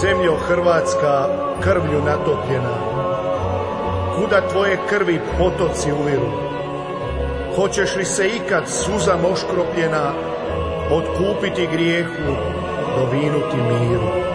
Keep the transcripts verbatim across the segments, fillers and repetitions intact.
Zemljo Hrvatska, krvlju natopljena, kuda tvoje krvi potoci uviru? Hoćeš li se ikad suzam oškropljena otkupiti grijehu, dovinuti miru?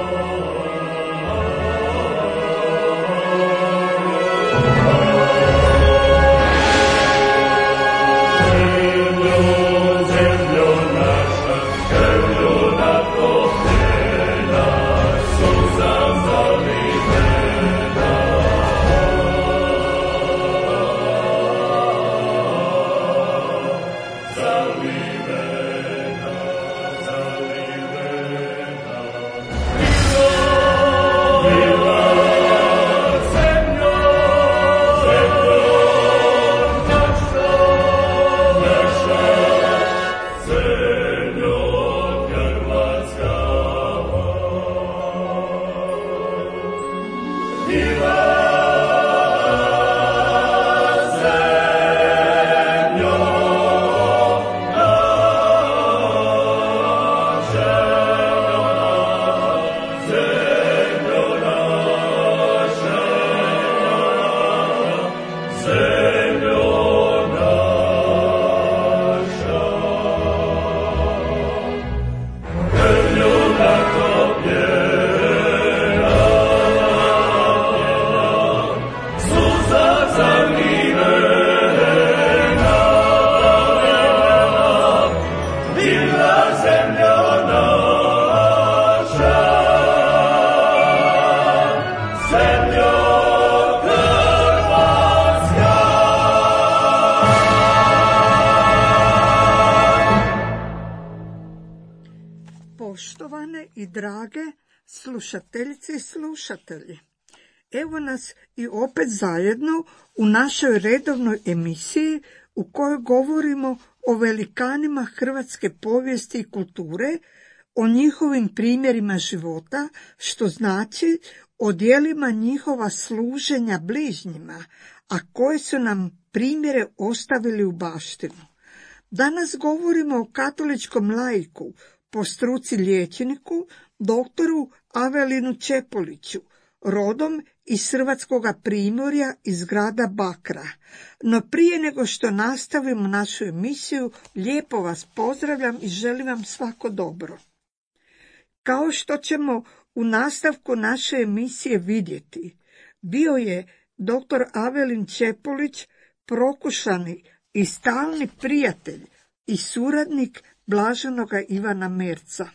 Poštovane i drage slušateljice i slušatelji, evo nas i opet zajedno u našoj redovnoj emisiji u kojoj govorimo o velikanima hrvatske povijesti i kulture, o njihovim primjerima života, što znači o djelima njihova služenja bližnjima, a koje su nam primjere ostavili u baštinu. Danas govorimo o katoličkom laiku, po struci liječniku, doktoru Avelinu Čepoliću, rodom iz Hrvatskoga primorja iz grada Bakra. No prije nego što nastavimo našu emisiju, lijepo vas pozdravljam i želim vam svako dobro. Kao što ćemo u nastavku naše emisije vidjeti, bio je doktor Avelin Čepolić prokušani i stalni prijatelj i suradnik blaženoga Ivana Merca.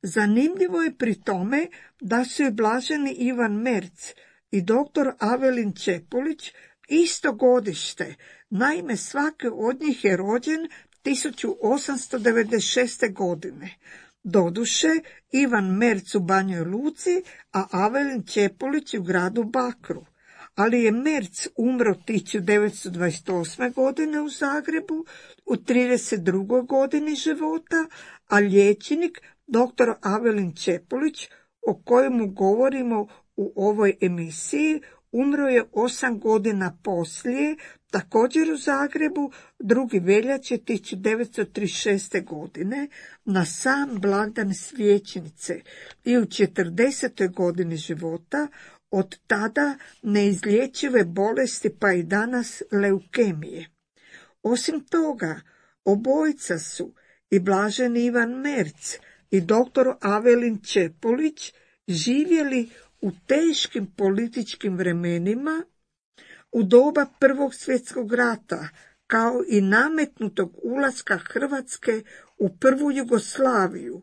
Zanimljivo je pri tome da su i blaženi Ivan Merc i doktor Avelin Čepolić isto godište, naime svaki od njih je rođen tisuću osamsto devedeset šeste. godine. Doduše, Ivan Merc u Banjoj Luci, a Avelin Čepolić u gradu Bakru. Ali je Merc umro tisuću devetsto dvadeset osme. godine u Zagrebu, u trideset drugoj godini života, a liječnik doktor Avelin Čepolić, o kojemu govorimo u ovoj emisiji, umro je osam godina poslije, također u Zagrebu, drugi veljače tisuću devetsto trideset šeste. godine, na sam blagdan Svijećnice i u četrdesetoj godini života, od tada neizlječive bolesti pa i danas leukemije. Osim toga, obojica su, i blaženi Ivan Merc i doktor Avelin Čepolić, živjeli u teškim političkim vremenima u doba Prvog svjetskog rata, kao i nametnutog ulaska Hrvatske u prvu Jugoslaviju,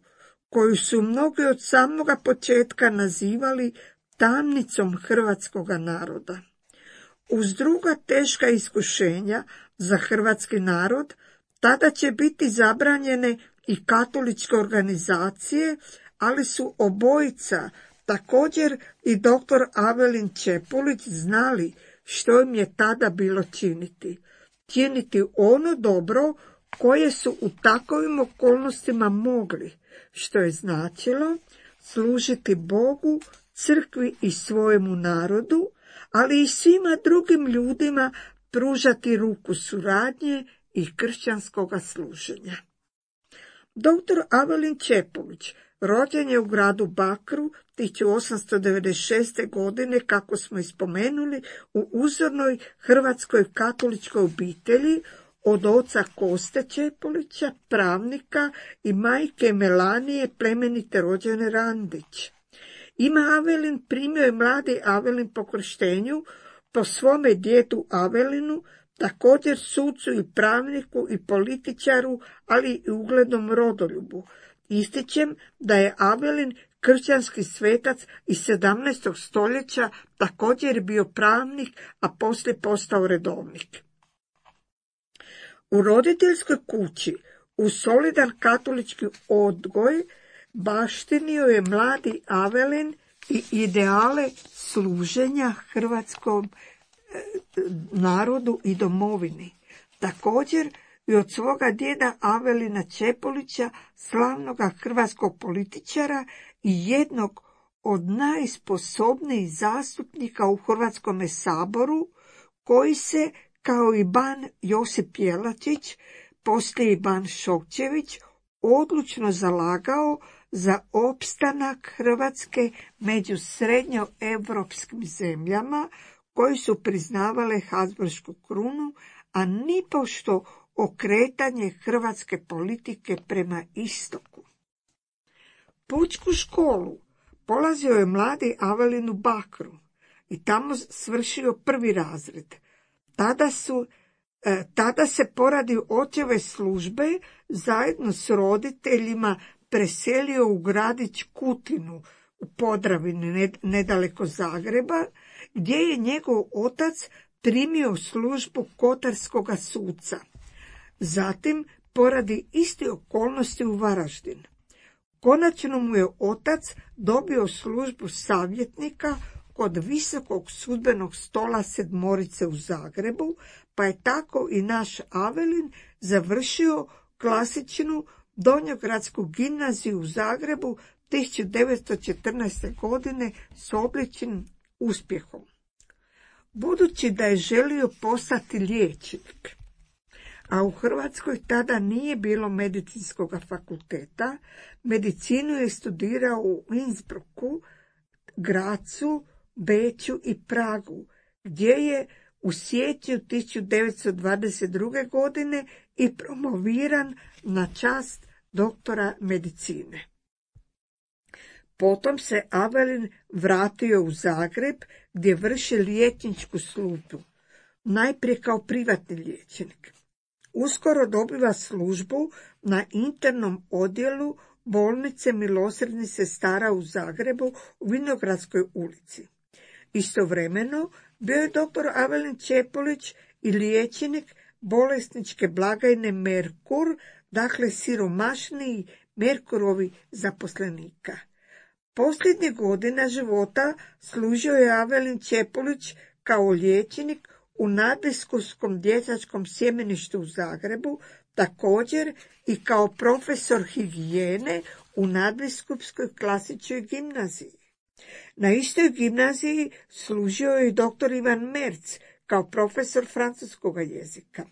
koju su mnogi od samoga početka nazivali tamnicom hrvatskoga naroda. Uz druga teška iskušenja za hrvatski narod, tada će biti zabranjene i katoličke organizacije, ali su obojica, također i doktor Avelin Čepolić, znali što im je tada bilo činiti. Činiti ono dobro koje su u takovim okolnostima mogli, što je značilo služiti Bogu, crkvi i svojemu narodu, ali i svima drugim ljudima pružati ruku suradnje i kršćanskoga služenja. Doktor Avelin Čepolić rođen je u gradu Bakru tisuću osamsto devedeset šeste. godine, kako smo ispomenuli, u uzornoj hrvatskoj katoličkoj obitelji od oca Koste Čepolića, pravnika, i majke Melanije, plemenite rođene Randić. Ime Avelin primio je mladi Avelin po krštenju, po svome djedu Avelinu, također sucu i pravniku i političaru, ali i uglednom rodoljubu. Ističem da je Avelin kršćanski svetac iz sedamnaestog. stoljeća, također bio pravnik, a poslije postao redovnik. U roditeljskoj kući, u solidan katolički odgoj, baštinio je mladi Avelin i ideale služenja hrvatskom narodu i domovini. Također i od svoga djeda Avelina Čepolića, slavnoga hrvatskog političara i jednog od najsposobnijih zastupnika u Hrvatskome saboru, koji se, kao i ban Josip Jelačić, poslije i ban Šokčević, odlučno zalagao za opstanak Hrvatske među srednjoevropskim zemljama koji su priznavale Habsburšku krunu, a nipošto okretanje hrvatske politike prema istoku. Pučku školu polazio je mladi Avelin u Bakru i tamo svršio prvi razred. Tada su Tada se poradi očeve službe zajedno s roditeljima preselio u gradić Kutinu u Podravini nedaleko Zagreba, gdje je njegov otac primio službu kotarskoga suca. Zatim poradi iste okolnosti u Varaždin. Konačno mu je otac dobio službu savjetnika kod Visokog sudbenog stola Sedmorice u Zagrebu, pa je tako i naš Avelin završio klasičnu Donjogradsku gimnaziju u Zagrebu tisuću devetsto četrnaeste. godine s odličnim uspjehom. Budući da je želio postati liječnik, a u Hrvatskoj tada nije bilo medicinskog fakulteta, medicinu je studirao u Innsbrucku, Grazu, Beču i Pragu, gdje je u siječnju tisuću devetsto dvadeset druge. godine i promoviran na čast doktora medicine. Potom se Avelin vratio u Zagreb, gdje vrši liječničku službu, najprije kao privatni liječnik. Uskoro dobiva službu na internom odjelu bolnice milosrdnih sestara u Zagrebu u Vinogradskoj ulici. Istovremeno bio je doktor Avelin Čepolić i liječnik bolesničke blagajne Merkur, dakle siromašniji Merkurovi zaposlenika. Posljednjih godina života služio je Avelin Čepolić kao liječnik u nadbiskupskom dječačkom sjemeništu u Zagrebu, također i kao profesor higijene u nadbiskupskoj klasičnoj gimnaziji. Na istoj gimnaziji služio je i doktor Ivan Merc kao profesor francuskog jezika.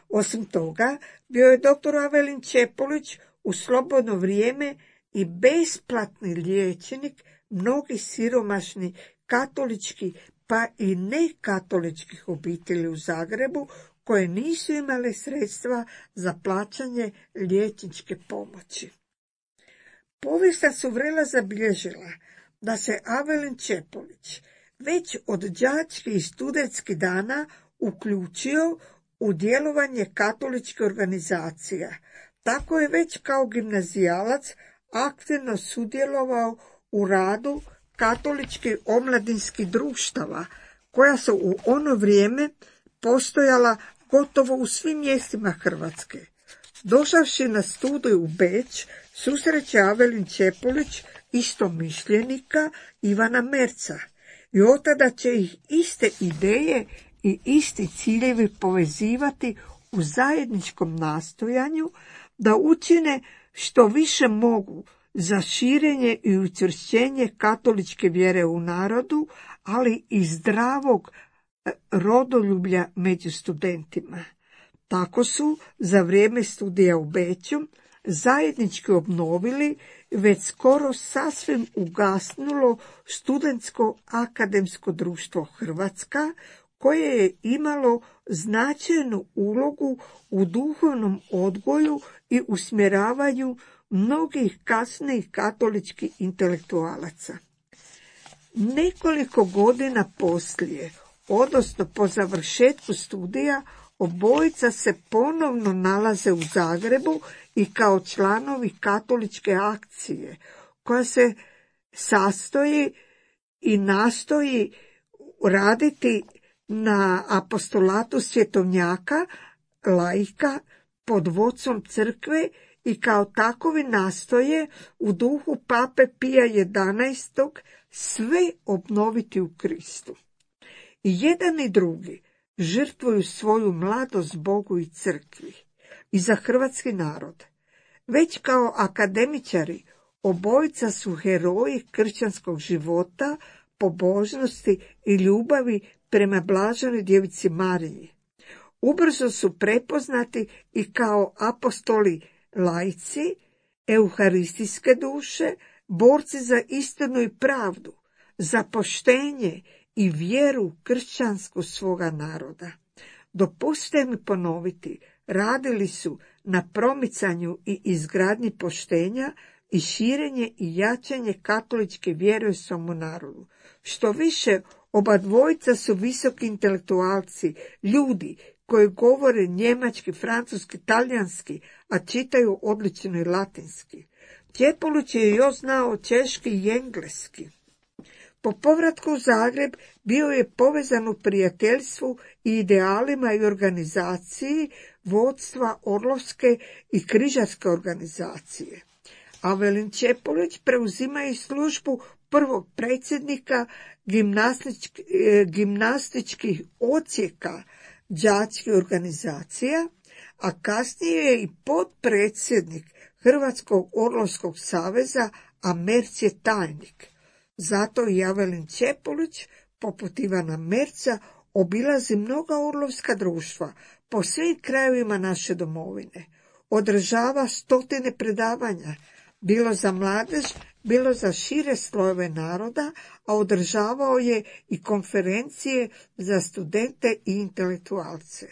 Osim toga, bio je doktor Avelin Čepolić u slobodno vrijeme i besplatni liječnik mnogih siromašnih katoličkih pa i nekatoličkih obitelji u Zagrebu koje nisu imale sredstva za plaćanje liječničke pomoći. Povijest su vrela zabilježila da se Avelin Čepolić već od đačkih i studentskih dana uključio u djelovanje katoličkih organizacija. Tako je već kao gimnazijalac aktivno sudjelovao u radu katoličkih omladinskih društava, koja su u ono vrijeme postojala gotovo u svim mjestima Hrvatske. Došavši na studij u Beč, susreće Avelin Čepolić istomišljenika Ivana Merca i od tada će ih iste ideje i isti ciljevi povezivati u zajedničkom nastojanju da učine što više mogu za širenje i učvršćenje katoličke vjere u narodu, ali i zdravog rodoljublja među studentima. Tako su za vrijeme studija u Beču zajednički obnovili već skoro sasvim ugasnulo studentsko akademsko društvo Hrvatska, koje je imalo značajnu ulogu u duhovnom odgoju i usmjeravanju mnogih kasnijih katoličkih intelektualaca. Nekoliko godina poslije, odnosno po završetku studija, obojica se ponovno nalaze u Zagrebu i kao članovi katoličke akcije, koja se sastoji i nastoji raditi na apostolatu svjetovnjaka, laika, pod vodstvom crkve i kao takovi nastoje u duhu pape Pija jedanaestog sve obnoviti u Kristu. I jedan i drugi žrtvuju svoju mladost Bogu i crkvi i za hrvatski narod. Već kao akademičari obojica su heroji kršćanskog života, pobožnosti i ljubavi prema blaženoj djevici Mariji. Ubrzo su prepoznati i kao apostoli laici, euharistijske duše, borci za istinu i pravdu, za poštenje i vjeru kršćansku svoga naroda. Dopustite mi ponoviti, radili su na promicanju i izgradnji poštenja i širenje i jačanje katoličke vjere u svom narodu. Što više, oba dvojica su visoki intelektualci, ljudi koji govore njemački, francuski, talijanski, a čitaju odlično i latinski. Čepulić je još znao češki i engleski. Po povratku u Zagreb bio je povezan u prijateljstvu i idealima i organizaciji vodstva Orlovske i Križarske organizacije. Avelin Čepulić preuzima i službu prvog predsjednika gimnastički, gimnastičkih odsjeka đačkih organizacija, a kasnije je i potpredsjednik Hrvatskog Orlovskog saveza, a Merc je tajnik. Zato i Avelin Čepulić, poput Ivana Merca, obilazi mnoga orlovska društva po svim krajevima naše domovine. Održava stotine predavanja, bilo za mladež, bilo za šire slojeve naroda, a održavao je i konferencije za studente i intelektualce.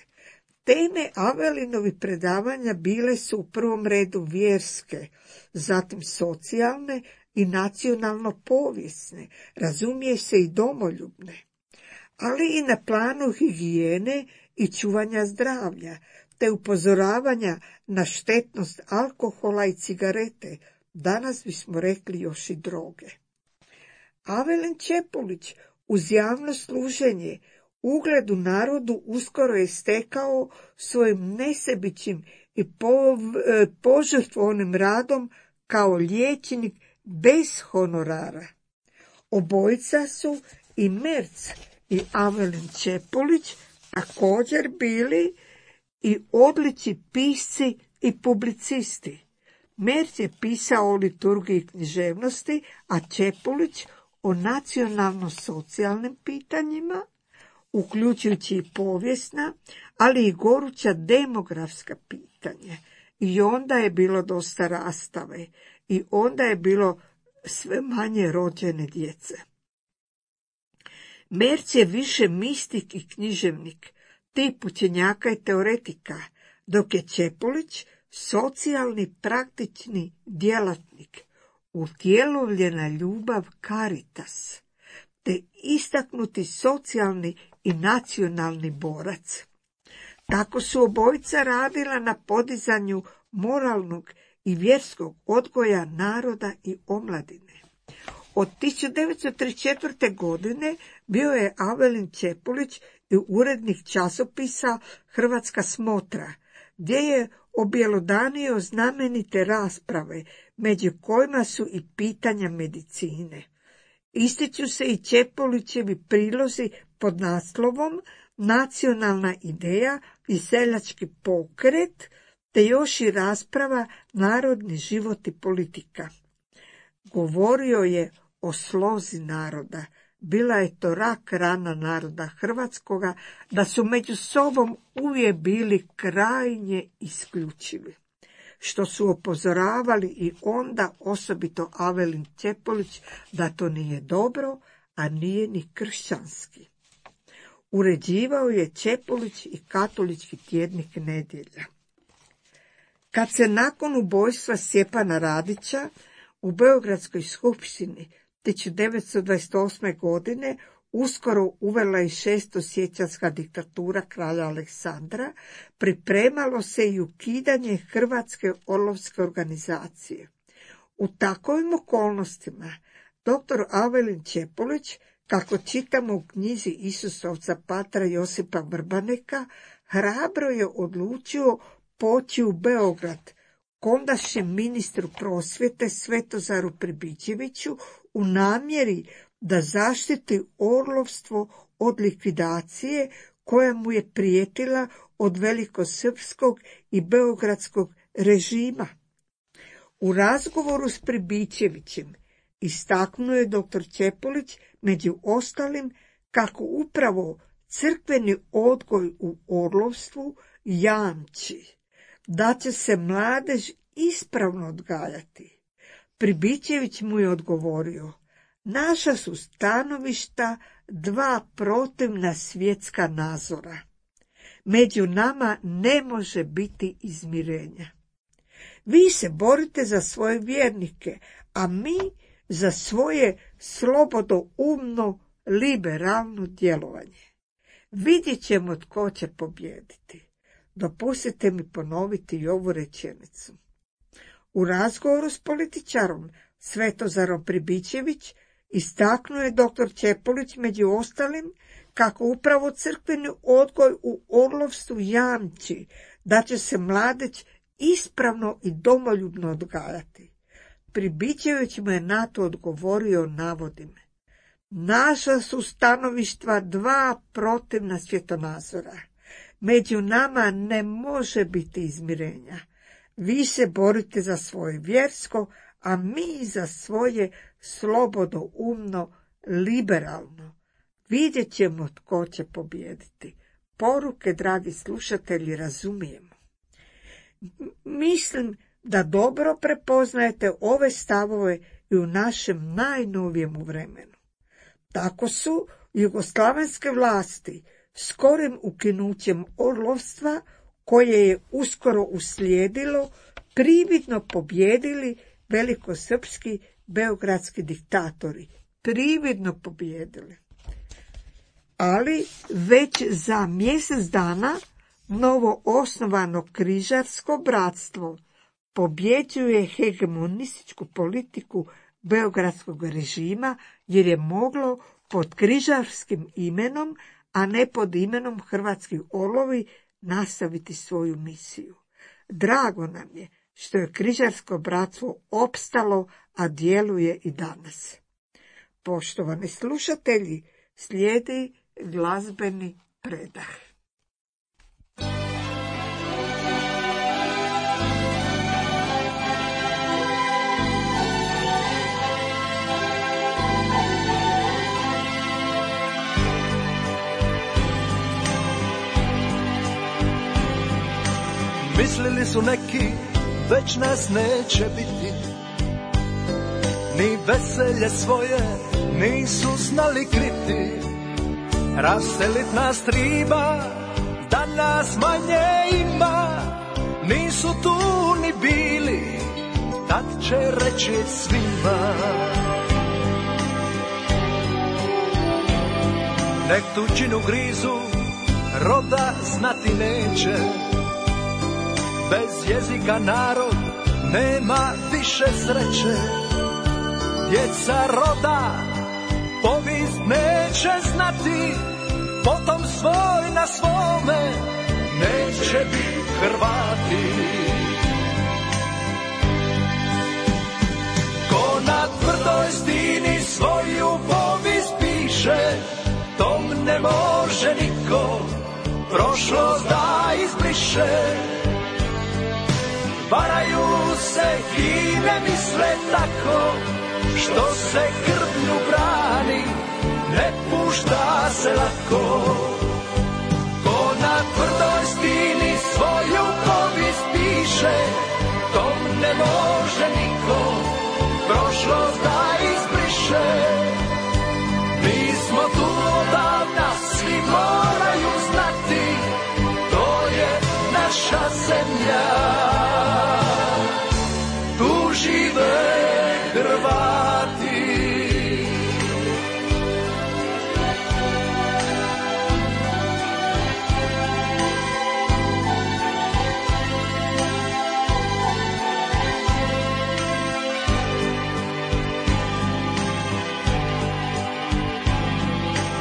Teme Avelinovi predavanja bile su u prvom redu vjerske, zatim socijalne i nacionalno-povijesne, razumije se i domoljubne, ali i na planu higijene i čuvanja zdravlja, te upozoravanja na štetnost alkohola i cigarete, danas bismo rekli još i droge. Avelin Čepulić uz javno služenje ugledu narodu uskoro je stekao svojim nesebičnim i požrtvovnim radom kao liječnik bez honorara. Obojica su, i Merc i Avelin Čepulić, također bili i odlični pisci i publicisti. Merc je pisao o liturgiji i književnosti, a Čepulić o nacionalno-socijalnim pitanjima, uključujući i povijesna, ali i goruća demografska pitanja. I onda je bilo dosta rastave i onda je bilo sve manje rođene djece. Merc je više mistik i književnik, tip učenjaka i teoretika, dok je Čepulić socijalni praktični djelatnik, utjelovljena ljubav caritas, te istaknuti socijalni i nacionalni borac. Tako su obojica radila na podizanju moralnog i vjerskog odgoja naroda i omladine. Od tisuću devetsto trideset četvrte. godine bio je Avelin Čepulić i urednik časopisa Hrvatska smotra, gdje je objelodanio znamenite rasprave, među kojima su i pitanja medicine. Ističu se i Čepulićevi prilozi pod naslovom Nacionalna ideja i seljački pokret, te još i rasprava Narodni život i politika. Govorio je o slozi naroda. Bila je to rak rana naroda hrvatskoga, da su među sobom uvijek bili krajnje isključivi. što su upozoravali i onda osobito Avelin Čepolić da to nije dobro, a nije ni kršćanski. Uređivao je Čepolić i katolički tjednik Nedjelja. Kad se nakon ubojstva Stjepana Radića u Beogradskoj skupštini tisuću devetsto dvadeset osme. godine uskoro uvela i šestosiječanska diktatura kralja Aleksandra, pripremalo se i ukidanje Hrvatske orlovske organizacije. U takovim okolnostima doktor Avelin Čepolić, kako čitamo u knjizi Isusovca patra Josipa Vrbaneka, hrabro je odlučio poći u Beograd ondašnjem ministru prosvjete Svetozaru Pribičeviću u namjeri da zaštiti orlovstvo od likvidacije koja mu je prijetila od velikosrpskog i beogradskog režima. U razgovoru s Pribičevićem istaknuo je doktor Čepolić među ostalim kako upravo crkveni odgoj u orlovstvu jamči da će se mladež ispravno odgajati. Pribičević mu je odgovorio: naša su stanovišta dva protivna svjetska nazora. Među nama ne može biti izmirenja. Vi se borite za svoje vjernike, a mi za svoje slobodoumno liberalno djelovanje. Vidjet ćemo tko će pobijediti. Dopustite mi ponoviti i ovu rečenicu. U razgovoru s političarom Svetozarom Pribičević istaknuo je doktor Čepolić među ostalim kako upravo crkveni odgoj u orlovstvu jamči da će se mladeć ispravno i domoljubno odgajati. Pribičević mu je na to odgovorio, navodim: naša su stanovišta dva protivna svjetonazora. Među nama ne može biti izmirenja. Vi se borite za svoje vjersko, a mi za svoje slobodoumno liberalno. Vidjet ćemo tko će pobijediti. Poruke, dragi slušatelji, razumijemo. Mislim da dobro prepoznajete ove stavove i u našem najnovijem vremenu. Tako su jugoslavenske vlasti skorim ukinućem orlovstva, koje je uskoro uslijedilo, prividno pobjedili velikosrpski beogradski diktatori. Prividno pobjedili. Ali već za mjesec dana novo osnovano križarsko bratstvo pobjeđuje hegemonističku politiku beogradskog režima, jer je moglo pod križarskim imenom, a ne pod imenom Hrvatski orlovi, nastaviti svoju misiju. Drago nam je što je križarsko bratstvo opstalo, a djeluje i danas. Poštovani slušatelji, slijedi glazbeni predah. Mislili su neki, već nas neće biti, ni veselje svoje nisu znali kriti. Raselit nas triba, da nas manje ima, nisu tu ni bili, tad će reći svima. Nek tuđinu grizu, roda znati neće, bez jezika narod nema više sreće. Djeca roda povijest neće znati, potom svoj na svome neće biti Hrvati. Ko na tvrdoj stini svoju povijest piše, tom ne može niko prošlost da izbriše. Varaju se i ne misle tako, što se krvlju brani, ne pušta se lako. Ko na tvrdoj stini svoju povijest piše, zemlja. Tu žive Hrvati.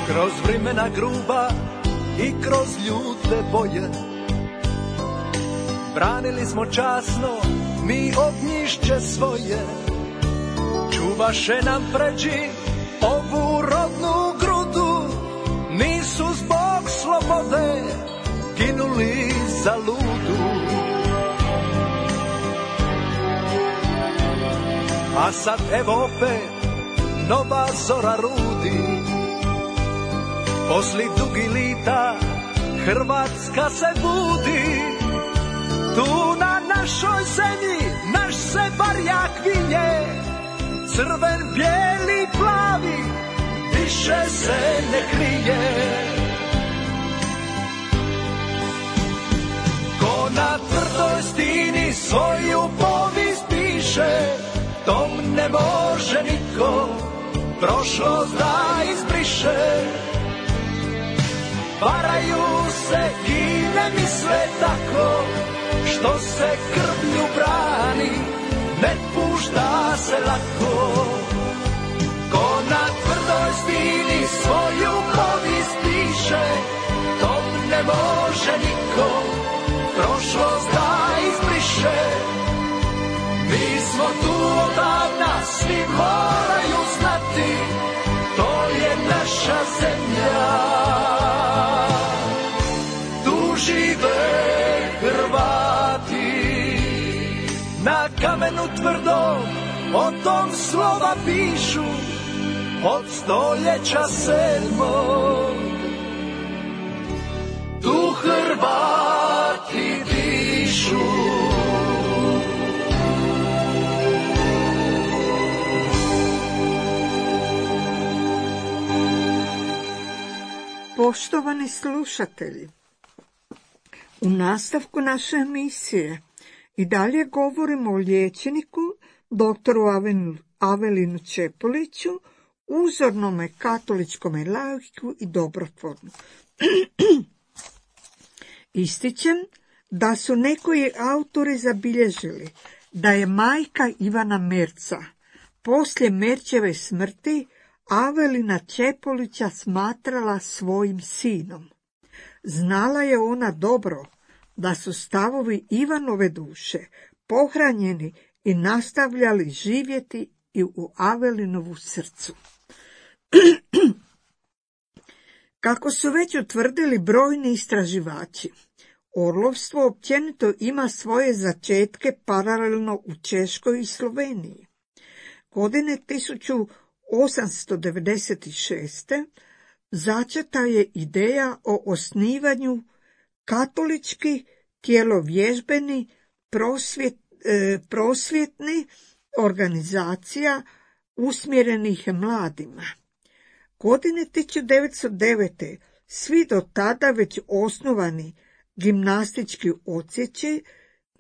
Kroz vremena gruba i kroz ljute boje branili smo časno mi ognjišće svoje. Čuvaše nam pređi ovu rodnu grudu, nisu zbog slobode ginuli za ludu. A sad evo opet nova zora rudi, posli dugi lita Hrvatska se budi. Tu na našoj zemlji naš se barjak vinje, crven, bijeli, plavi, više se ne krije. Ko na tvrdoj stini svoju povijest piše, tom ne može niko prošlost da izbriše. Varaju se i ne misle tako, što se krvlju brani, ne pušta se lako. Ko na tvrdoj stini svoju povijest piše, tom ne može niko prošlost da izbriše. Mi smo tu odavna, svi moraju znati, to je naša zemlja. Tu žive Hrvati. Na kamenu tvrdom o tom slova pišu, od stoljeća sedmog. Tu Hrvati dišu. Poštovani slušatelji, u nastavku naše emisije i dalje govorimo o liječniku doktoru Avelinu Čepoliću, uzornome katoličkome laiku i dobrotvornu. Ističem da su nekoji autori zabilježili da je majka Ivana Merca poslije Merčeve smrti Avelina Čepolića smatrala svojim sinom. Znala je ona dobro da su stavovi Ivanove duše pohranjeni i nastavljali živjeti i u Avelinovu srcu. Kako su već utvrdili brojni istraživači, orlovstvo općenito ima svoje začetke paralelno u Češkoj i Sloveniji. Godine tisuću osamsto devedeset šeste. začeta je ideja o osnivanju katolički tjelovježbeni prosvjet, e, prosvjetni organizacija usmjerenih mladima. Godine tisuću devetsto devete. svi do tada već osnovani gimnastički odsjeći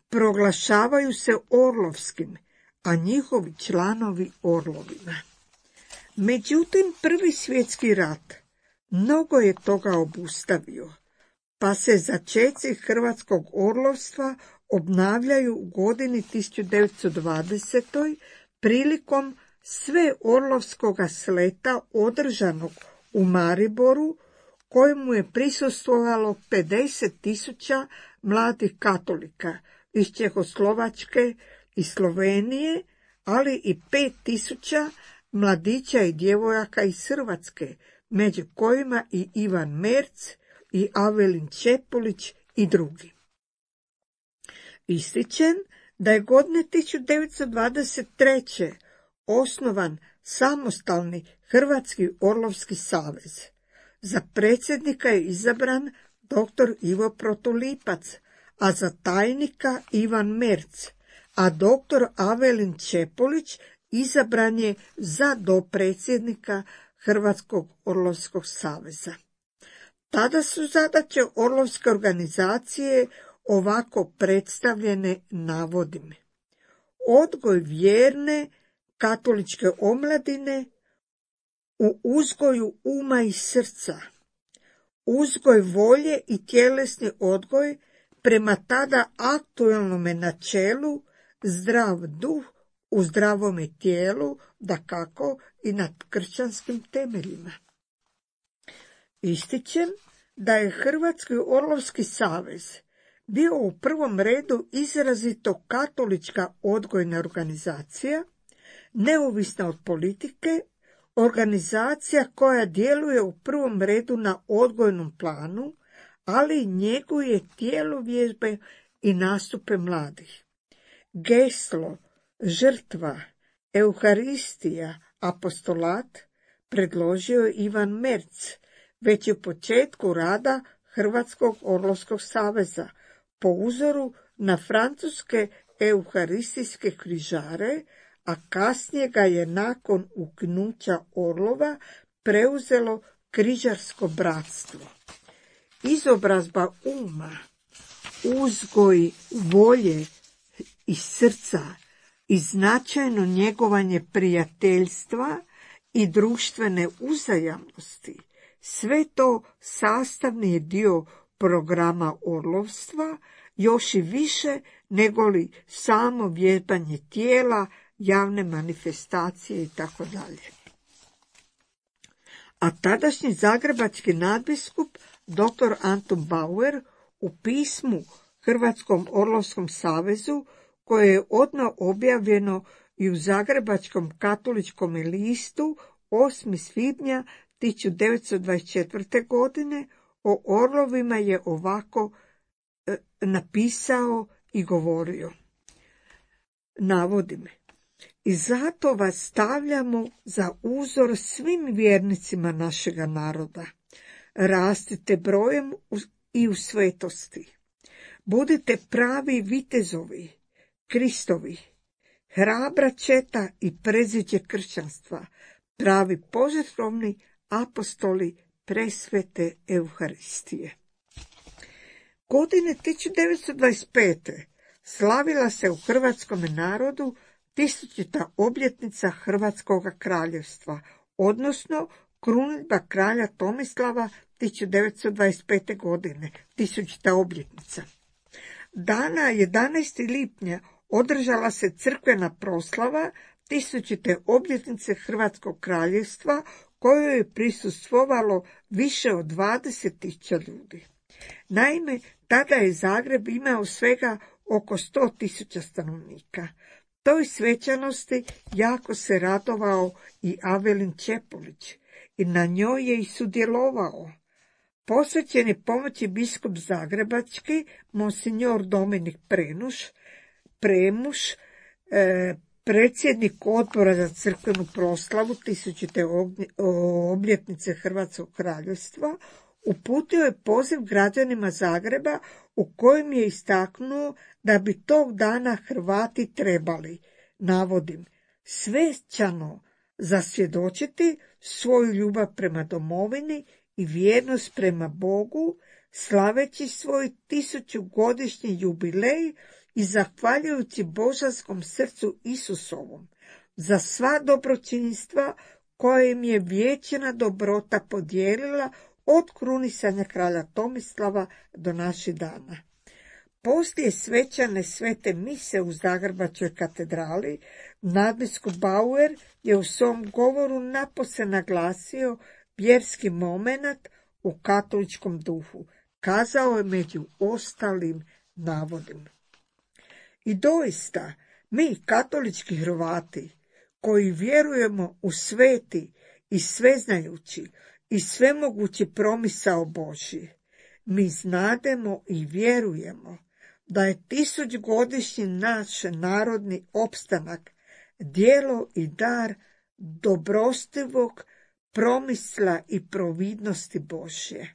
proglašavaju se orlovskim, a njihovi članovi orlovima. Međutim, Prvi svjetski rat mnogo je toga obustavio, pa se začeci hrvatskog orlovstva obnavljaju u godini tisuću devetsto dvadesetoj. prilikom sveorlovskoga sleta održanog u Mariboru, kojemu je prisustvovalo pedeset tisuća mladih katolika iz Čehoslovačke i Slovenije, ali i pet tisuća mladića i djevojaka iz Hrvatske, među kojima i Ivan Merc i Avelin Čepolić i drugi. Ističem da je godine tisuću devetsto dvadeset treće. osnovan samostalni Hrvatski orlovski savez. Za predsjednika je izabran doktor Ivo Protulipac, a za tajnika Ivan Merc, a doktor Avelin Čepolić izabran je za dopredsjednika Hrvatskog orlovskog saveza. Tada su zadaće orlovske organizacije ovako predstavljene navodim. Odgoj vjerne katoličke omladine u uzgoju uma i srca, uzgoj volje i tjelesni odgoj prema tada aktualnome načelu zdrav duh u zdravome tijelu, dakako i nad kršćanskim temeljima. Ističem da je Hrvatski orlovski savez bio u prvom redu izrazito katolička odgojna organizacija, neovisna od politike, organizacija koja djeluje u prvom redu na odgojnom planu, ali njeguje tjelovježbe i nastupe mladih. Geslo, žrtva, euharistija, apostolat predložio je Ivan Merz već u početku rada Hrvatskog orlovskog saveza po uzoru na francuske euharistijske križare, a kasnije ga je nakon ukinuća Orlova preuzelo križarsko bratstvo. Izobrazba uma, uzgoj volje i srca i značajno njegovanje prijateljstva i društvene uzajamnosti, sve to sastavni je dio programa orlovstva, još i više nego li samo vježbanje tijela, javne manifestacije itd. A tadašnji zagrebački nadbiskup dr. Anton Bauer u pismu Hrvatskom orlovskom savezu, koje je odmah objavljeno i u Zagrebačkom katoličkom listu osmog svibnja tisuću devetsto dvadeset četvrte. godine, o orlovima je ovako e, napisao i govorio. Navodim. I zato vas stavljamo za uzor svim vjernicima našega naroda. Rastite brojem i u svetosti. Budite pravi vitezovi, Kristovi, hrabra četa i predziđe kršćanstva, pravi požrtvovni apostoli presvete Euharistije. Godine tisuću devetsto dvadeset pete. slavila se u hrvatskom narodu tisućita obljetnica Hrvatskog kraljevstva, odnosno krunidba kralja Tomislava tisuću devetsto dvadeset pete. godine, tisućita obljetnica. Dana jedanaestog lipnja održala se crkvena proslava tisućite obljetnice Hrvatskog kraljevstva, kojoj je prisustvovalo više od dvadeset tisuća ljudi. Naime, tada je Zagreb imao svega oko sto tisuća stanovnika. Toj svečanosti jako se radovao i Avelin Čepulić i na njoj je i sudjelovao. Posvećen je pomoći biskup zagrebački, monsignor Dominik Prenuš, Premuš, e, predsjednik odbora za crkvenu proslavu tisućite obljetnice Hrvatskog kraljevstva, uputio je poziv građanima Zagreba u kojem je istaknuo da bi tog dana Hrvati trebali, navodim, svečano zasvjedočiti svoju ljubav prema domovini i vjernost prema Bogu, slaveći svoj tisućugodišnji jubilej i zahvaljujući božanskom srcu Isusovom za sva dobročinstva koje im je vječna dobrota podijelila od krunisanja kralja Tomislava do naših dana. Poslije svečane svete mise u Zagrebačkoj katedrali, nadbiskup Bauer je u svom govoru napose naglasio vjerski momenat u katoličkom duhu. Kazao je među ostalim navodima. I doista, mi katolički Hrvati, koji vjerujemo u sveti i sveznajući i svemogući promisao Božji, mi znademo i vjerujemo da je tisućgodišnji naš narodni opstanak djelo i dar dobrostivog promisla i providnosti Božje.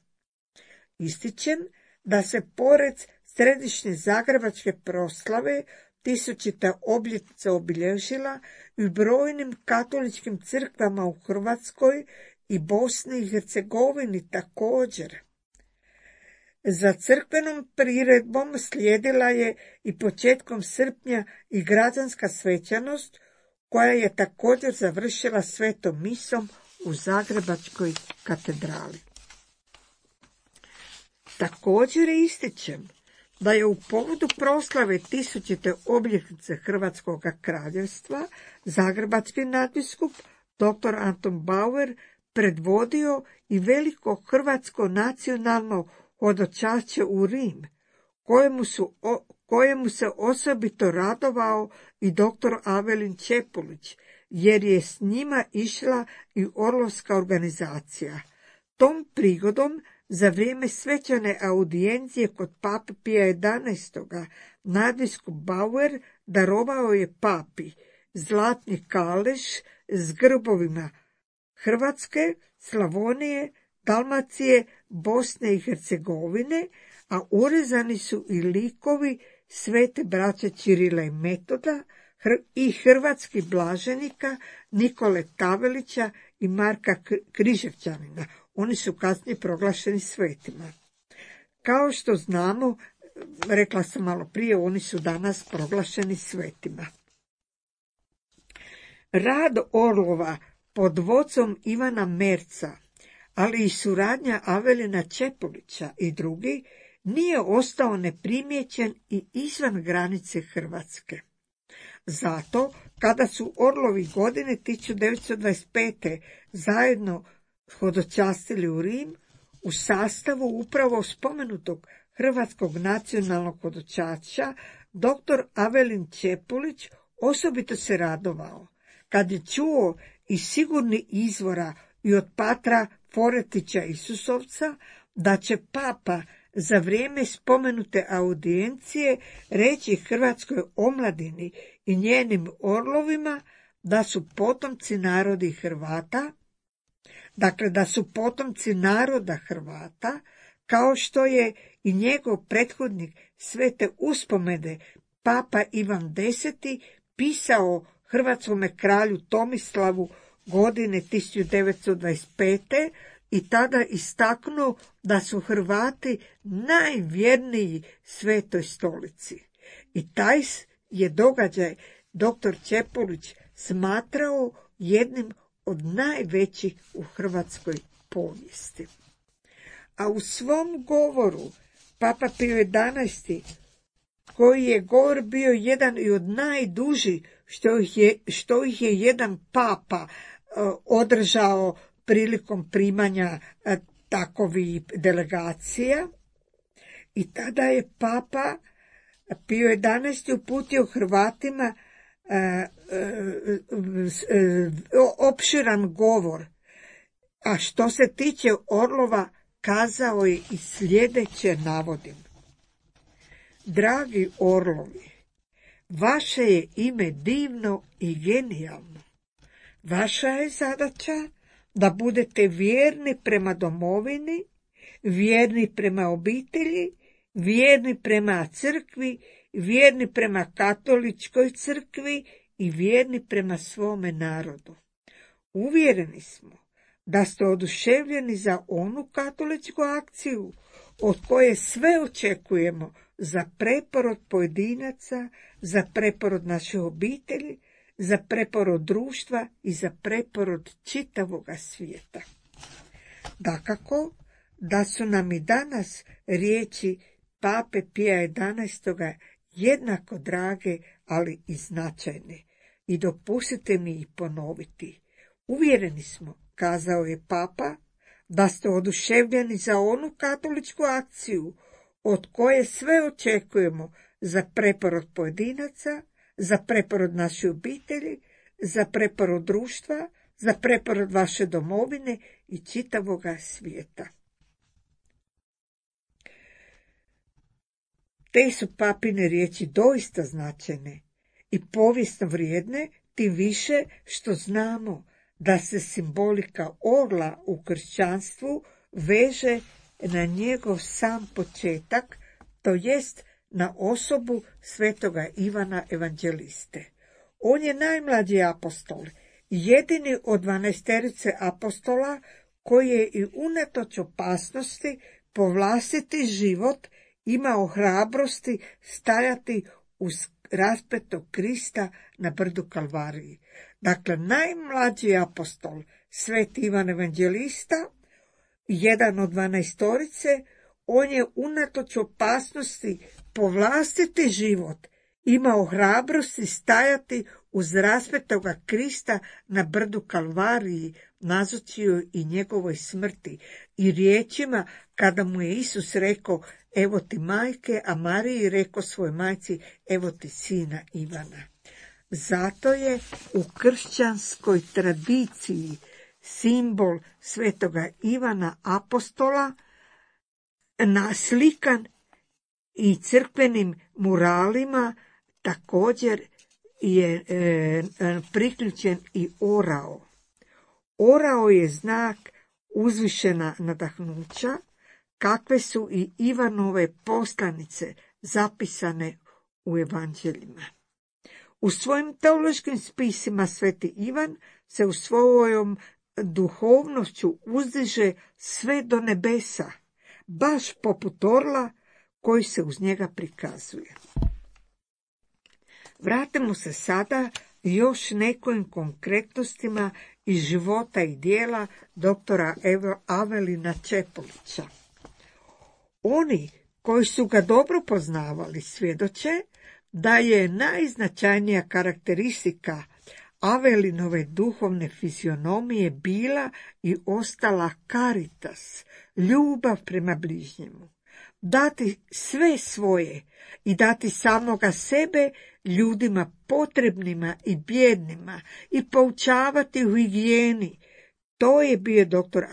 Ističem da se pored središnje zagrebačke proslave tisućita obljetnica obilježila i u brojnim katoličkim crkvama u Hrvatskoj i Bosni i Hercegovini također. Za crkvenom priredbom slijedila je i početkom srpnja i građanska svečanost, koja je također završila svetom misom u Zagrebačkoj katedrali. Također ističem da je u povodu proslave tisućite obljetnice Hrvatskog kraljevstva zagrebački nadbiskup doktor Anton Bauer predvodio i veliko hrvatsko nacionalno hodočašće u Rim, kojemu, su, o, kojemu se osobito radovao i doktor Avelin Čepulić, jer je s njima išla i orlovska organizacija. Tom prigodom, za vrijeme svečane audijencije kod pape Pija jedanaestog. nadbiskup Bauer darovao je papi zlatni kalež s grbovima Hrvatske, Slavonije, Dalmacije, Bosne i Hercegovine, a urezani su i likovi svete braće Čirila i Metoda i hrvatskih blaženika Nikole Tavelića i Marka Križevčanina. Oni su kasnije proglašeni svetima. Kao što znamo, rekla sam malo prije, oni su danas proglašeni svetima. Rad Orlova pod vodstvom Ivana Merca, ali i suradnja Avelina Čepulića i drugi, nije ostao neprimjećen i izvan granice Hrvatske. Zato, kada su Orlovi godine tisuću devetsto dvadeset pete. zajedno hodočastili u Rim, u sastavu upravo spomenutog hrvatskog nacionalnog hodočašća, doktor Avelin Čepulić osobito se radovao kad je čuo iz sigurnih izvora i od patra Foretića Isusovca da će papa za vrijeme spomenute audijencije reći hrvatskoj omladini i njenim orlovima da su potomci narodi Hrvata, dakle da su potomci naroda Hrvata, kao što je i njegov prethodnik Svete uspomene papa Ivan Deseti pisao hrvatskome kralju Tomislavu godine tisuću devetsto dvadeset pete. i tada istaknuo da su Hrvati najvjerniji Svetoj stolici. I taj je događaj doktor Čepulić smatrao jednim od najvećih u hrvatskoj povijesti. A u svom govoru Papa Pio jedanaesti, koji je govor bio jedan i od najdužih što ih je, što ih je jedan papa uh, održao prilikom primanja uh, takovih delegacija, i tada je Papa Pio jedanaesti uputio Hrvatima uh, uh, uh, opširan govor, a što se tiče Orlova kazao je i sljedeće, navodim. Dragi Orlovi, vaše je ime divno i genijalno. Vaša je zadaća da budete vjerni prema domovini, vjerni prema obitelji, vjerni prema crkvi, vjerni prema katoličkoj crkvi i vjerni prema svome narodu. Uvjereni smo da ste oduševljeni za onu katoličku akciju od koje sve očekujemo za preporod pojedinaca, za preporod naše obitelji, za preporod društva i za preporod čitavoga svijeta. Dakako da su nam i danas riječi Pape Pija jedanaestog. jednako drage, ali i značajne. I dopustite mi ih ponoviti. Uvjereni smo, kazao je Papa, da ste oduševljeni za onu katoličku akciju od koje sve očekujemo za preporod pojedinaca, za preporod naše obitelji, za preporod društva, za preporod vaše domovine i čitavoga svijeta. Te su papine riječi doista značajne i povijesno vrijedne, tim više što znamo da se simbolika orla u kršćanstvu veže na njegov sam početak, to jest na osobu svetoga Ivana Evanđeliste. On je najmlađi apostol, jedini od dvanaesterice apostola koji je i unatoč opasnosti po vlastiti život imao hrabrosti stajati uz raspetog Krista na brdu Kalvariji. Dakle, najmlađi apostol, Sveti Ivan Evanđelista, jedan od dvanaestorice, on je unatoč opasnosti po vlastiti život imao hrabrosti stajati uz raspetoga Krista na brdu Kalvariji, nazočio i njegovoj smrti i riječima kada mu je Isus rekao evo ti majke, a Mariji rekao svoj majci evo ti sina Ivana. Zato je u kršćanskoj tradiciji simbol svetoga Ivana apostola naslikan i crkvenim muralima, također je e, priključen i orao. Orao je znak uzvišena nadahnuća, kakve su i Ivanove poslanice zapisane u evanđeljima. U svojim teološkim spisima Sveti Ivan se u svojom duhovnošću uzdiže sve do nebesa, baš poput orla koji se uz njega prikazuje. Vratimo se sada još nekim konkretnostima iz života i dijela doktora Avelina Čepolića. Oni koji su ga dobro poznavali svjedoče da je najznačajnija karakteristika Avelinove duhovne fizionomije bila i ostala caritas, ljubav prema bližnjemu. Dati sve svoje i dati samoga sebe ljudima potrebnima i bjednima i poučavati u higijeni. To je bio doktor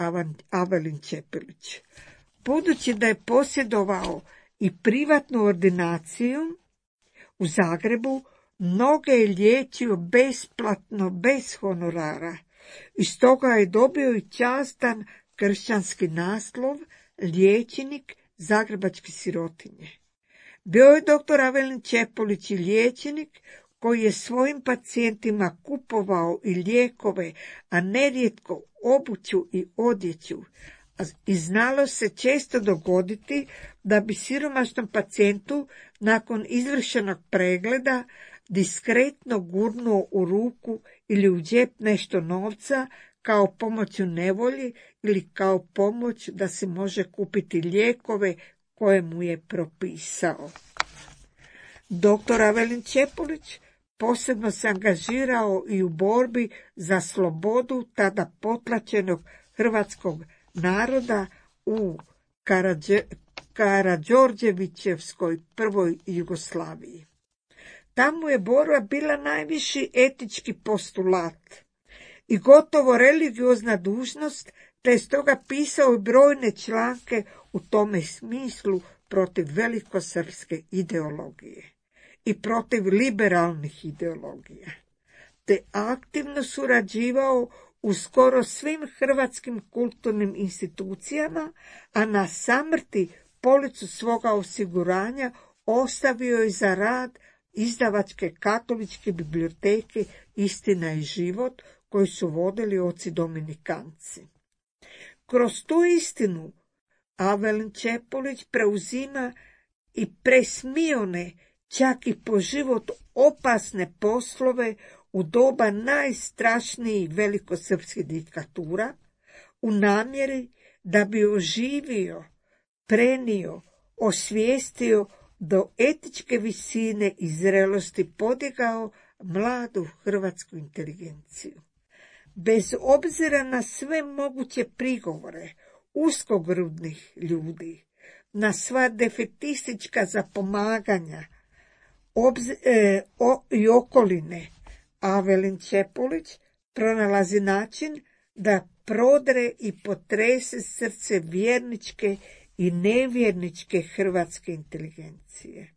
Avelin Čepolić. Budući da je posjedovao i privatnu ordinaciju u Zagrebu, mnoge je liječio besplatno, bez honorara. I stoga je dobio i častan kršćanski naslov liječnik zagrebačke sirotinje. Bio je doktor Avelin Čepolić i liječnik koji je svojim pacijentima kupovao i lijekove, a nerijetko obuću i odjeću. I znalo se često dogoditi da bi siromašnom pacijentu nakon izvršenog pregleda diskretno gurnuo u ruku ili u džep nešto novca kao pomoć u nevolji ili kao pomoć da se može kupiti lijekove koje mu je propisao. Doktor Avelin Čepolić posebno se angažirao i u borbi za slobodu tada potlačenog hrvatskog naroda u Karadže, Karađorđevićevskoj prvoj Jugoslaviji. Tamo je borba bila najviši etički postulat i gotovo religiozna dužnost, te je stoga pisao i brojne članke u tome smislu protiv velikosrpske ideologije i protiv liberalnih ideologija, te aktivno surađivao u skoro svim hrvatskim kulturnim institucijama, a na samrti policu svoga osiguranja ostavio je za rad izdavačke katoličke biblioteke Istina i život, koju su vodili oci dominikanci. Kroz tu istinu Avelin Čepolić preuzima i presmione, čak i po život opasne poslove u doba najstrašnijih velikosrpskih diktatura, u namjeri da bi oživio, prenio, osvijestio do etičke visine i zrelosti podigao mladu hrvatsku inteligenciju. Bez obzira na sve moguće prigovore uskogrudnih ljudi, na sva defetistička zapomaganja obz, e, o, i okoline, Avelin Čepolić pronalazi način da prodre i potrese srce vjerničke i nevjerničke hrvatske inteligencije.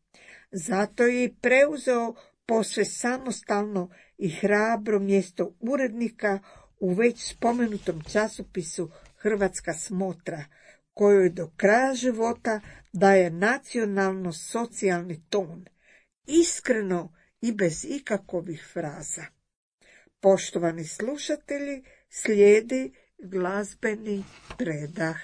Zato je i preuzeo posve samostalno i hrabro mjesto urednika u već spomenutom časopisu Hrvatska smotra, kojoj do kraja života daje nacionalno-socijalni ton, iskreno i bez ikakovih fraza. Poštovani slušatelji, slijedi glazbeni predah.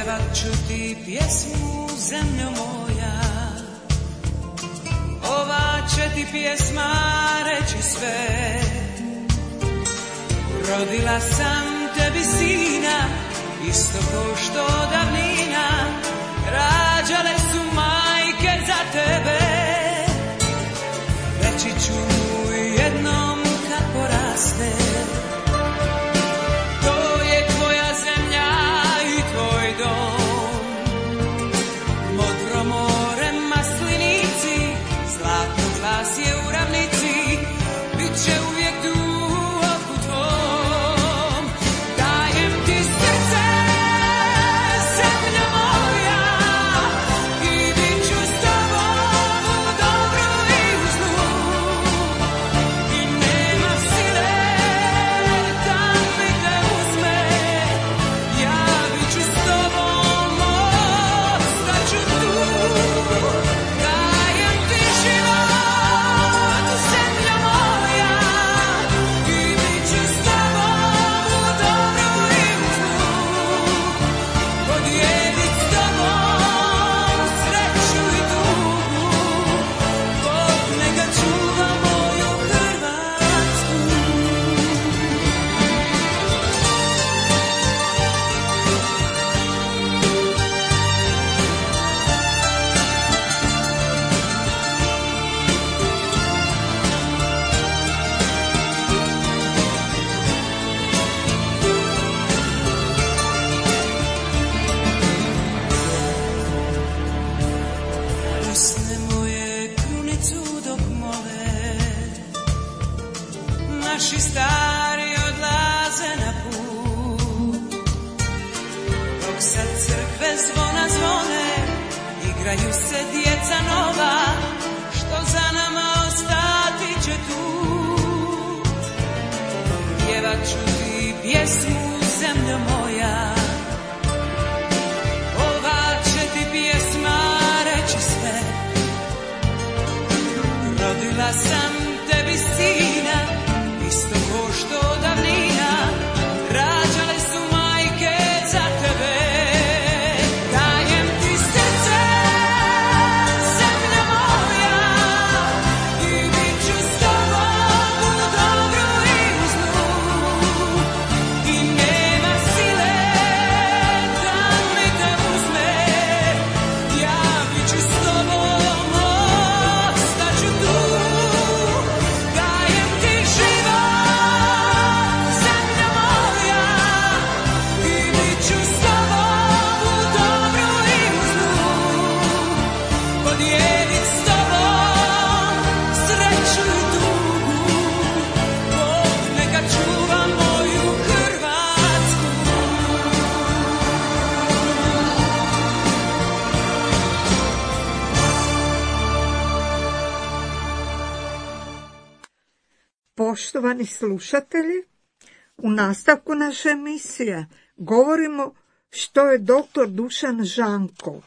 Pjevat ću ti pjesmu, zemljo moja, ova će ti pjesma reći sve. Rodila sam tebi sina, isto ko što davnina rađale su majke za tebe. Reći ću mu jednom kad poraste, to je tvoja zemlja i tvoj dom. Modro more, maslinici, zlatno glas je u ravnici, bit će uvijek tu oko tvom. Dajem ti srce, zemlja moja, i bit ću s tobom u dobru i u zlu. I nema sile da mi te uzme, ja bit ću s tobom, ostaću tu. Dajem ti život, zemlja moja, i bit ću s tobom u dobru i u zlu. Podijelit s tobom sreću i tugu, Bog neka čuva moju Hrvatsku. Usne moje krunicu dok mole, naši stari odlaze na put. Dok sad crkve zvona zvone, igraju se djeca nova, što za nama ostati će tu. Pjevat ću ti pjesmu, zemljo moja, ova će ti pjesma reći sve. Rodila sam tebi sina, isto ko što davnina rađale su majke za tebe. Dajem ti srce, zemlja moja, i bit ću s tobom u dobru i u zlu. I nema sile da mi te uzme, ja bit ću s tobom, ostaću tu. Dajem ti život, zemlja moja, i bit ću s tobom u dobru i u zlu. Podijelit s tobom sreću i tugu, Bog neka čuva moju Hrvatsku. Poštovani slušatelji, u nastavku naše emisije govorimo što je doktor Dušan Žanko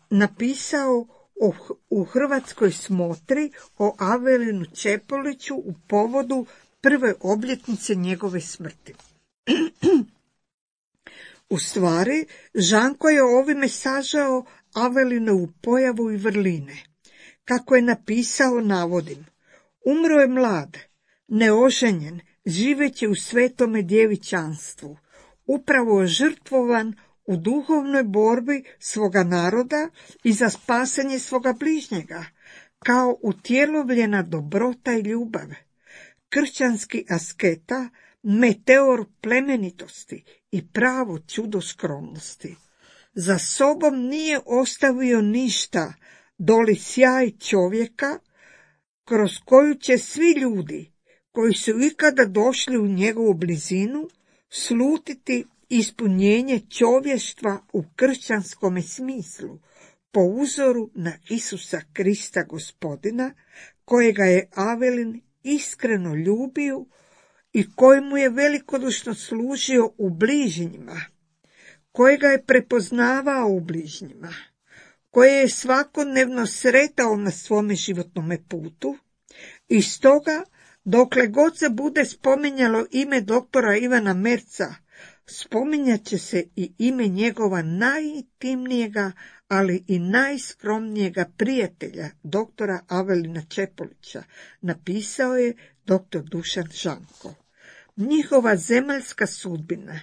napisao o, u Hrvatskoj smotri o Avelinu Čepoliću u povodu prve obljetnice njegove smrti. U stvari, Žanko je ovime sažao Avelinovu pojavu i vrline. Kako je napisao, navodim, umro je mlad, neoženjen, živeći u svetome djevičanstvu, upravo žrtvovan u duhovnoj borbi svoga naroda i za spasanje svoga bližnjega, kao utjelovljena dobrota i ljubav, kršćanski asketa, meteor plemenitosti i pravo čudo skromnosti. Za sobom nije ostavio ništa, doli sjaj čovjeka, kroz koju će svi ljudi koji su ikada došli u njegovu blizinu slutiti ispunjenje čovještva u kršćanskome smislu, po uzoru na Isusa Krista Gospodina, kojega je Avelin iskreno ljubio i kojemu je velikodušno služio u bližnjima, kojega je prepoznavao u bližnjima, koje je svakodnevno sretao na svome životnome putu, i stoga, dokle god se bude spominjalo ime doktora Ivana Merca, Spominjat će se i ime njegova najintimnijega, ali i najskromnijega prijatelja, doktora Avelina Čepolića, napisao je doktor Dušan Žanko. Njihova zemaljska sudbina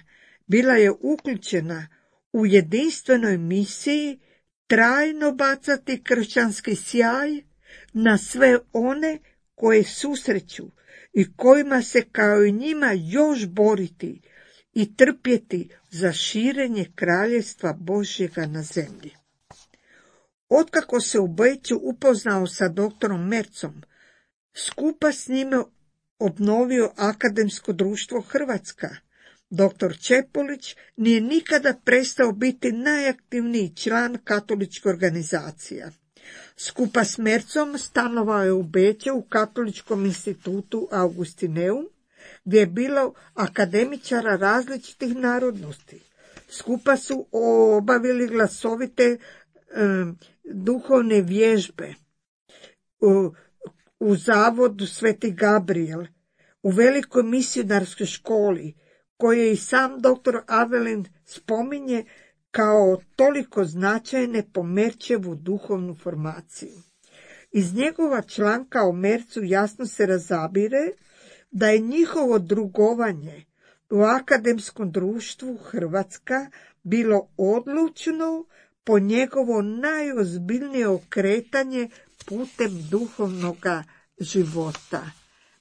bila je uključena u jedinstvenoj misiji trajno bacati kršćanski sjaj na sve one koje susreću i kojima se kao i njima još boriti i trpjeti za širenje kraljevstva Božjega na zemlji. Otkako se u Beču upoznao sa doktorom Mercom, skupa s njime obnovio Akademsko društvo Hrvatska. Doktor Čepolić nije nikada prestao biti najaktivniji član katoličke organizacija. Skupa s Mercom stanovao je u Beču u Katoličkom institutu Augustineum, gdje je bilo akademičara različitih narodnosti. Skupa su obavili glasovite e, duhovne vježbe u, u zavodu Sveti Gabriel, u velikoj misionarskoj školi, koje i sam doktor Avelin spominje kao toliko značajne po Merčevu duhovnu formaciju. Iz njegova članka o Mercu jasno se razabire da je njihovo drugovanje u Akademskom društvu Hrvatska bilo odlučno po njegovo najozbiljnije okretanje putem duhovnoga života.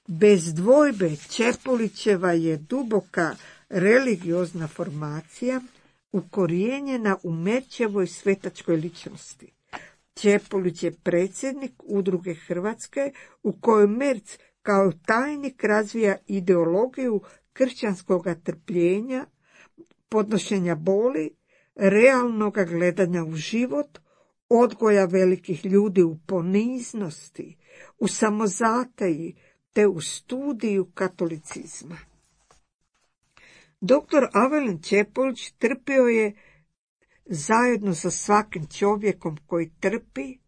Bez dvojbe Čepolićeva je duboka religiozna formacija ukorijenjena u Merčevoj svetačkoj ličnosti. Čepolić je predsjednik Udruge Hrvatske u kojoj Merc kao tajnik razvija ideologiju kršćanskog trpljenja, podnošenja boli, realnog gledanja u život, odgoja velikih ljudi u poniznosti, u samozataji te u studiju katolicizma. Doktor Avelin Čepolić trpio je zajedno sa svakim čovjekom koji trpi,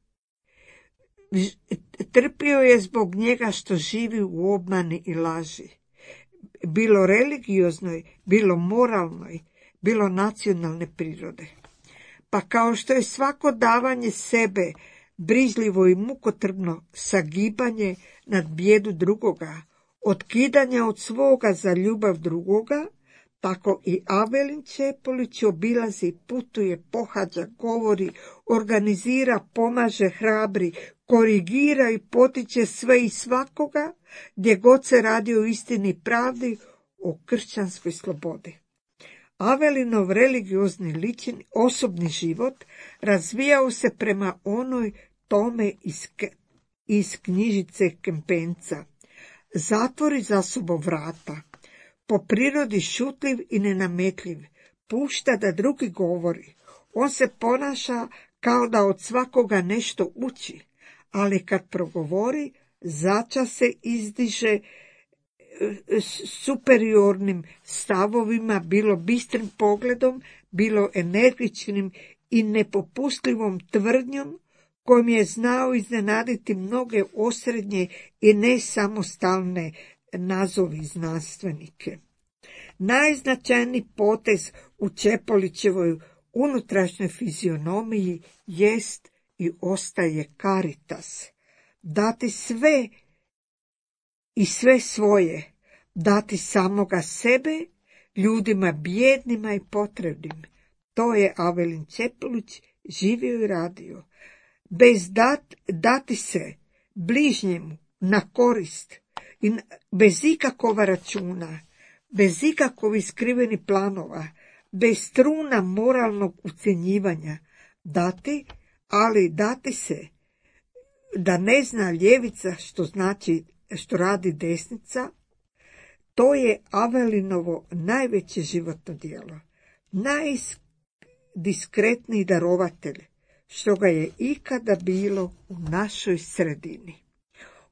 trpio je zbog njega što živi u obmani i laži, bilo religioznoj, bilo moralnoj, bilo nacionalne prirode. Pa kao što je svako davanje sebe brižljivo i mukotrpno sagibanje nad bijedu drugoga, otkidanje od svoga za ljubav drugoga, tako i Avelin Čepolić obilazi, putuje, pohađa, govori, organizira, pomaže, hrabri, korigira i potiče sve i svakoga, gdje god se radi o istini i pravdi, o kršćanskoj slobodi. Avelinov religiozni lični osobni život razvijao se prema onoj tome iz, iz knjižice Kempenca. Zatvori za sobom vrata, po prirodi šutljiv i nenametljiv, pušta da drugi govori. On se ponaša kao da od svakoga nešto uči, ali kad progovori, začas se izdiže superiornim stavovima, bilo bistrim pogledom, bilo energičnim i nepopustljivom tvrdnjom, kojim je znao iznenaditi mnoge osrednje i nesamostalne nazovi znanstvenike. Najznačajniji potez u Čepolićevoj unutrašnjoj fizionomiji jest i ostaje caritas. Dati sve i sve svoje, dati samoga sebe ljudima bijednima i potrebnim. To je Avelin Čepolić živio i radio. Bez dat, dati se bližnjemu na korist i bez ikakova računa, bez ikakovih skrivenih planova, bez truna moralnog ucjenjivanja, dati, ali dati se, da ne zna ljevica što znači, što radi desnica, to je Avelinovo najveće životno djelo, najdiskretniji darovatelj, što ga je ikada bilo u našoj sredini.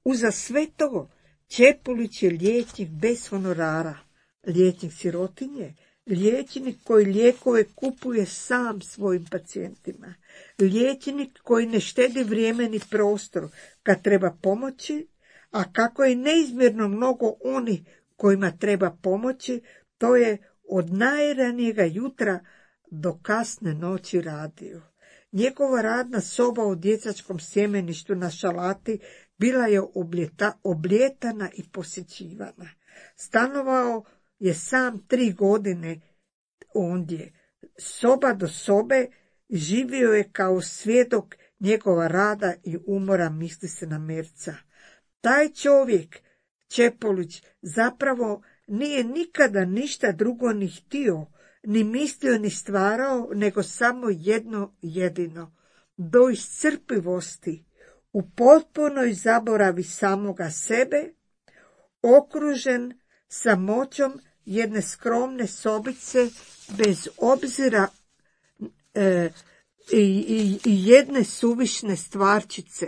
Uza sve to, Čepolić je liječnik bez honorara, liječnik sirotinje, liječnik koji lijekove kupuje sam svojim pacijentima, liječnik koji ne štedi vrijeme ni prostor kad treba pomoći, a kako je neizmjerno mnogo onih kojima treba pomoći, to je od najranijega jutra do kasne noći radio. Njegova radna soba u djecačkom sjemeništu na Šalati bila je obljeta, obljetana i posjećivana. Stanovao je sam tri godine ondje. Soba do sobe živio je kao svjedok njegova rada i umora, misli se na Merca. Taj čovjek, Čepolić, zapravo nije nikada ništa drugo ni htio, ni mislio, ni stvarao, nego samo jedno jedino. Do iscrpivosti, u potpunoj zaboravi samoga sebe, okružen samoćom jedne skromne sobice, bez obzira e, i, i, i jedne suvišne stvarčice,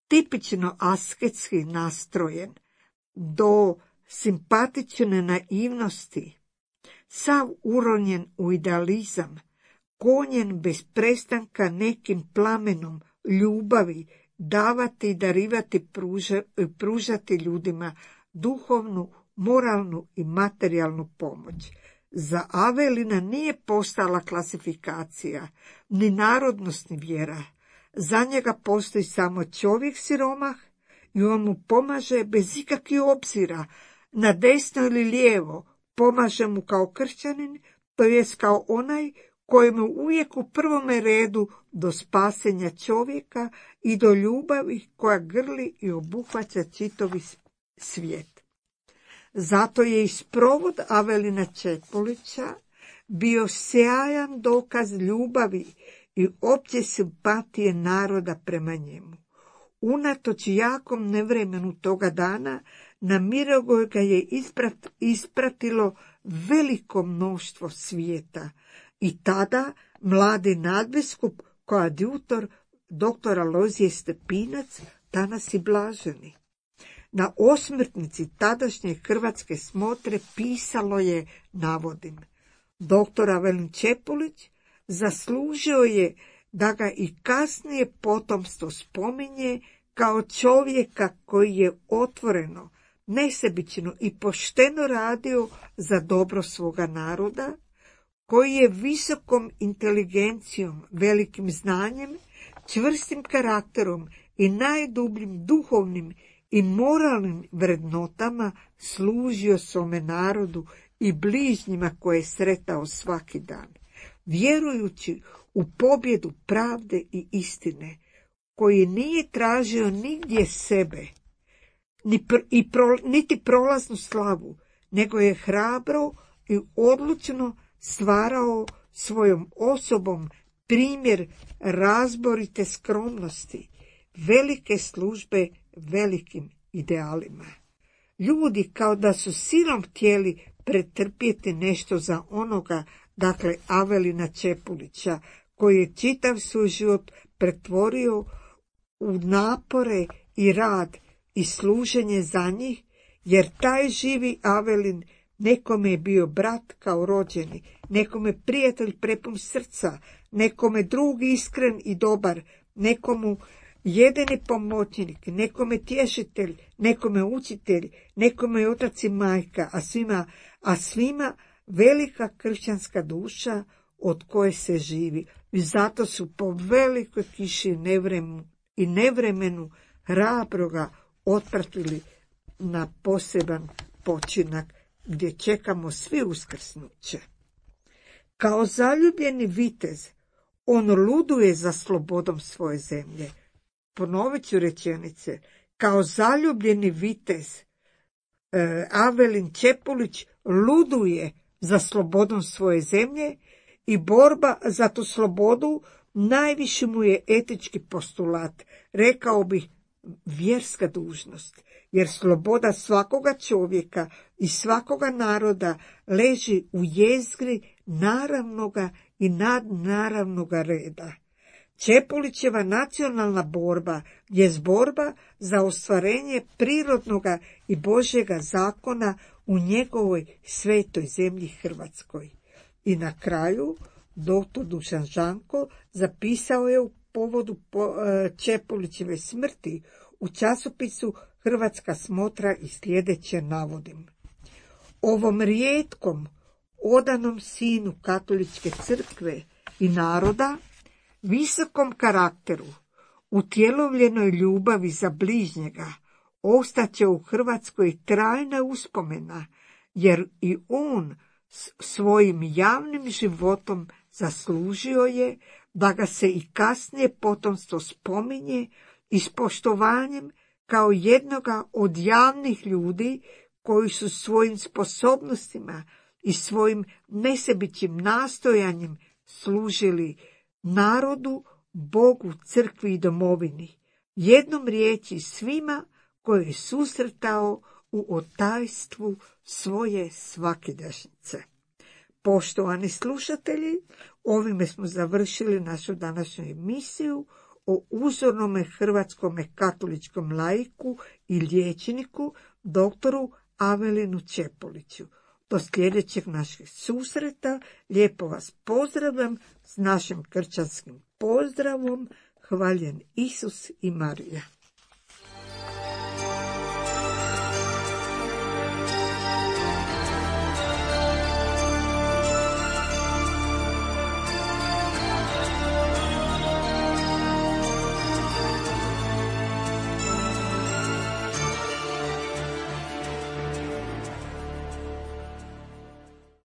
tipično asketski nastrojen, do simpatične naivnosti, sav uronjen u idealizam, gonjen bez prestanka nekim plamenom ljubavi, davati i darivati, pruža, pružati ljudima duhovnu, moralnu i materijalnu pomoć. Za Avelina nije postala klasifikacija, ni narodnost, ni vjera. Za njega postoji samo čovjek siromah i on mu pomaže bez ikakvih obzira, na desno ili lijevo, pomaže mu kao kršćanin, to jest kao onaj kojemu uvijek u prvome redu do spasenja čovjeka i do ljubavi koja grli i obuhvaća čitavi svijet. Zato je i sprovod Avelina Čepolića bio sjajan dokaz ljubavi i opće simpatije naroda prema njemu. Unatoč jakom nevremenu toga dana, na Mirogoj ga je isprat, ispratilo veliko mnoštvo svijeta i tada mladi nadbiskup koadjutor doktor Alojzije Stepinac, danas i blaženi. Na osmrtnici tadašnje hrvatske smotre pisalo je, navodim, doktor Avelin Čepolić zaslužio je da ga i kasnije potomstvo spominje kao čovjeka koji je otvoreno, nesebično i pošteno radio za dobro svoga naroda, koji je visokom inteligencijom, velikim znanjem, čvrstim karakterom i najdubljim duhovnim i moralnim vrednotama služio svome narodu i bližnjima koje je sretao svaki dan, vjerujući u pobjedu pravde i istine, koji nije tražio nigdje sebe, ni pr- i pro- niti prolaznu slavu, nego je hrabro i odlučno stvarao svojom osobom primjer razborite skromnosti, velike službe velikim idealima. Ljudi kao da su silom htjeli pretrpjeti nešto za onoga, dakle Avelina Čepolića, koji je čitav svoj život pretvorio u napore i rad i služenje za njih, jer taj živi Avelin nekome je bio brat kao rođeni, nekome prijatelj prepun srca, nekome drug iskren i dobar, nekomu jedini pomoćnik, nekome tješitelj, nekome učitelj, nekome otac i majka, a svima, a svima velika kršćanska duša od koje se živi. I zato su po velikoj kiši nevremenu i nevremenu hrabroga otpratili na poseban počinak gdje čekamo svi uskrsnuće. Kao zaljubljeni vitez, on luduje za slobodom svoje zemlje. Ponovit ću rečenice. Kao zaljubljeni vitez, e, Avelin Čepolić luduje za slobodom svoje zemlje i borba za tu slobodu najviši mu je etički postulat, rekao bih vjerska dužnost, jer sloboda svakoga čovjeka i svakoga naroda leži u jezgri naravnoga i nadnaravnoga reda. Čepolićeva nacionalna borba je borba za ostvarenje prirodnoga i Božjega zakona u njegovoj svetoj zemlji Hrvatskoj. I na kraju doktor Dušan Žanko zapisao je u povodu Čepolićeve smrti u časopisu Hrvatska smotra i sljedeće navodim. Ovom rijetkom, odanom sinu katoličke crkve i naroda, visokom karakteru, utjelovljenoj ljubavi za bližnjega, ostaće u Hrvatskoj trajna uspomena, jer i on svojim javnim životom zaslužio je da ga se i kasnije potomstvo spominje i s poštovanjem kao jednoga od javnih ljudi koji su svojim sposobnostima i svojim nesebičnim nastojanjem služili narodu, Bogu, crkvi i domovini, jednom riječi svima koje je susretao u otajstvu svoje svakidašnjice. Poštovani slušatelji, ovime smo završili našu današnju emisiju o uzornome hrvatskome katoličkom laiku i liječniku, doktoru Avelinu Čepoliću. Do sljedećeg našeg susreta lijepo vas pozdravljam s našim kršćanskim pozdravom. Hvaljen Isus i Marija.